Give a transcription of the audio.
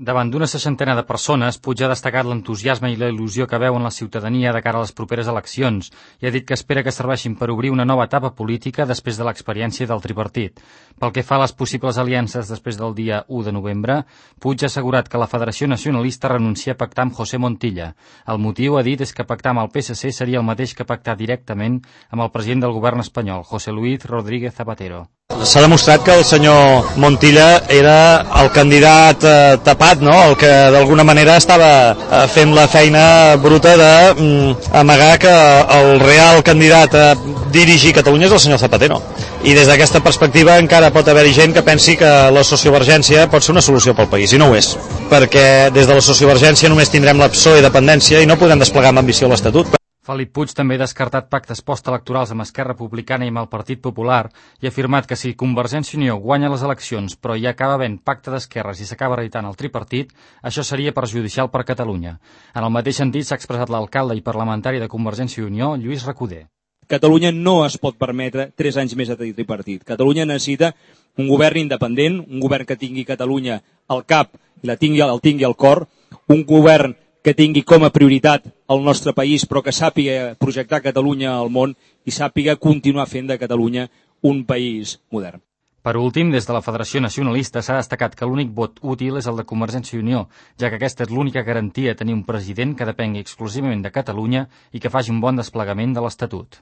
Davant d'una seixantena de persones, Puig ha destacat l'entusiasme i la il·lusió que veu en la ciutadania de cara a les properes eleccions i ha dit que espera que serveixin per obrir una nova etapa política després de l'experiència del tripartit. Pel que fa a les possibles aliances després del dia 1 de novembre, Puig ha assegurat que la Federació Nacionalista renuncia a pactar amb José Montilla. El motiu, ha dit, és que pactar amb el PSC seria el mateix que pactar directament amb el president del govern espanyol, José Luis Rodríguez Zapatero. S'ha demostrat que el senyor Montilla era el candidat tapat, no? El que d'alguna manera estava fent la feina bruta d'amagar que el real candidat a dirigir Catalunya és el senyor Zapatero. I des d'aquesta perspectiva encara pot haver-hi gent que pensi que la sociovergència pot ser una solució pel país, i no ho és. Perquè des de la sociovergència només tindrem la PSOE i dependència i no podem desplegar amb ambició l'Estatut. Felip Puig també ha descartat pactes postelectorals amb Esquerra Republicana i amb el Partit Popular i ha afirmat que si Convergència i Unió guanya les eleccions però hi acaba havent pacte d'esquerres i s'acaba reeditant el tripartit, això seria perjudicial per Catalunya. En el mateix sentit s'ha expressat l'alcalde i parlamentari de Convergència i Unió, Lluís Recoder. Catalunya no es pot permetre 3 anys més de tripartit. Catalunya necessita un govern independent, un govern que tingui Catalunya al cap i el tingui al cor, un govern que tingui com a prioritat el nostre país, però que sàpiga projectar Catalunya al món i sàpiga continuar fent de Catalunya un país modern. Per últim, des de la Federació Nacionalista s'ha destacat que l'únic vot útil és el de Convergència i Unió, ja que aquesta és l'única garantia de tenir un president que depengui exclusivament de Catalunya i que faci un bon desplegament de l'Estatut.